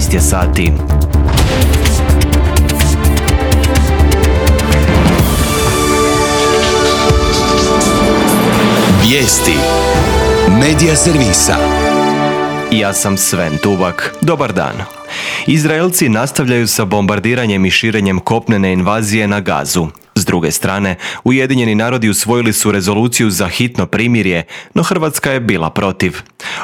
12 je sati. Vijesti Medija servisa. Ja sam Sven Tubak. Dobar dan. Izraelci nastavljaju sa bombardiranjem i širenjem kopnene invazije na Gazu. S druge strane, Ujedinjeni narodi usvojili su rezoluciju za hitno primirje, no Hrvatska je bila protiv.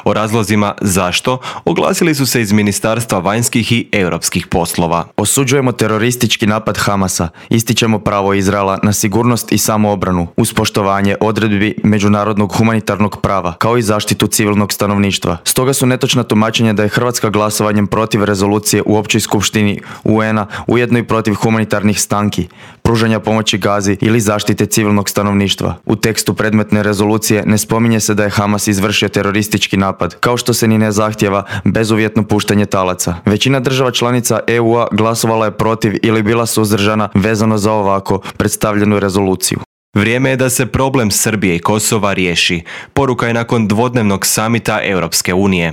O razlozima zašto oglasili su se iz Ministarstva vanjskih i europskih poslova. Osuđujemo teroristički napad Hamasa, ističemo pravo Izraela na sigurnost i samoobranu uz poštovanje odredbi međunarodnog humanitarnog prava, kao i zaštitu civilnog stanovništva. Stoga su netočna tumačenja da je Hrvatska glasovanjem protiv rezolucije u Općoj skupštini UN-a ujedno i protiv humanitarnih stanki, pružanja pomoći Gazi ili zaštite civilnog stanovništva. U tekstu predmetne rezolucije ne spominje se da je Hamas izvršio teroristički napad, kao što se ni ne zahtjeva bezuvjetno puštanje talaca. Većina država članica EU-a glasovala je protiv ili bila suzdržana vezano za ovako predstavljenu rezoluciju. Vrijeme je da se problem Srbije i Kosova riješi. Poruka je nakon dvodnevnog samita Europske unije.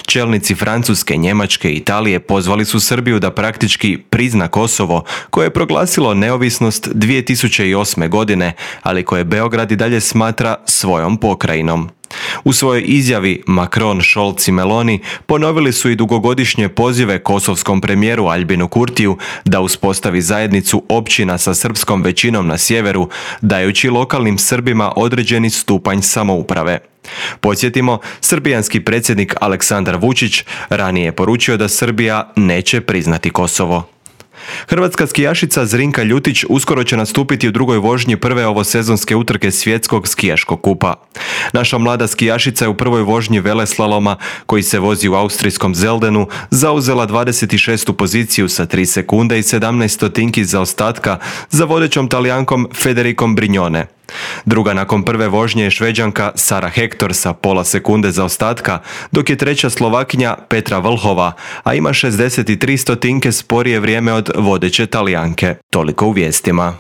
Čelnici Francuske, Njemačke i Italije pozvali su Srbiju da praktički prizna Kosovo, koje je proglasilo neovisnost 2008. godine, ali koje Beograd i dalje smatra svojom pokrajinom. U svojoj izjavi Macron, Scholz i Meloni ponovili su i dugogodišnje pozive kosovskom premijeru Aljbinu Kurtiju da uspostavi zajednicu općina sa srpskom većinom na sjeveru, dajući lokalnim Srbima određeni stupanj samouprave. Podsjetimo, srbijanski predsjednik Aleksandar Vučić ranije je poručio da Srbija neće priznati Kosovo. Hrvatska skijašica Zrinka Ljutić uskoro će nastupiti u drugoj vožnji prve ovosezonske utrke svjetskog skijaškog kupa. Naša mlada skijašica je u prvoj vožnji veleslaloma, koji se vozi u austrijskom Zeldenu, zauzela 26. poziciju sa 3 sekunde i 17 stotinki zaostatka za vodećom Talijankom Federicom Brignone. Druga nakon prve vožnje je Šveđanka Sara Hector sa pola sekunde zaostatka, dok je treća Slovakinja Petra Vlhova, a ima 63 stotinke sporije vrijeme od vodeće Talijanke. Toliko u vijestima.